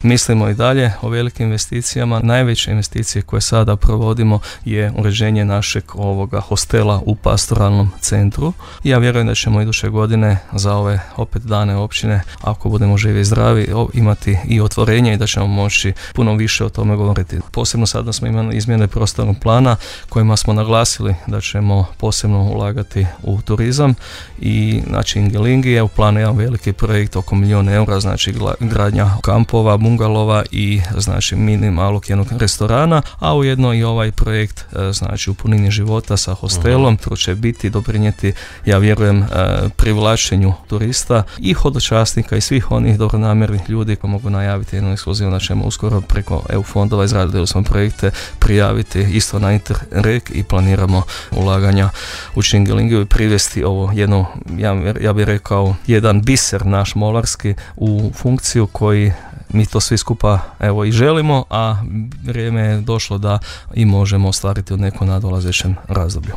Mislimo i dalje o velikim investicijama. Najveće investicije koje sada provodimo je uređenje našeg ovoga hostela u pastoralnom centru. Ja vjerujem da ćemo iduće godine za ove opet dane općine, ako budemo živi i zdravi, imati i otvorenje i da ćemo moći puno više o tome govoriti. Posebno sada smo imali izmjene prostornog plana kojima smo naglasili da ćemo posebno ulagati u turizam i znači Ingelingi je u planu jedan veliki projekt oko 1 milijun eura, znači gradnja kampova, bungalova i znači mini malog jednog restorana, a ujedno i ovaj projekt znači u punini života sa hostelom, to će biti doprinijeti, ja vjerujem, privlačenju turista i hodočasnika i svih onih dobronamjernih ljudi koji mogu najaviti jednu ekskluzivu da ćemo uskoro preko EU fondova izradili smo projekte prijaviti isto na Interreg i planiramo ulaganja u Čingelingiju i privesti ovo jedno, ja bih rekao, jedan biser naš molarski u funkciju koji mi to svi skupa evo i želimo, a vrijeme je došlo da i možemo ostvariti u nekom nadolazećem razdoblju.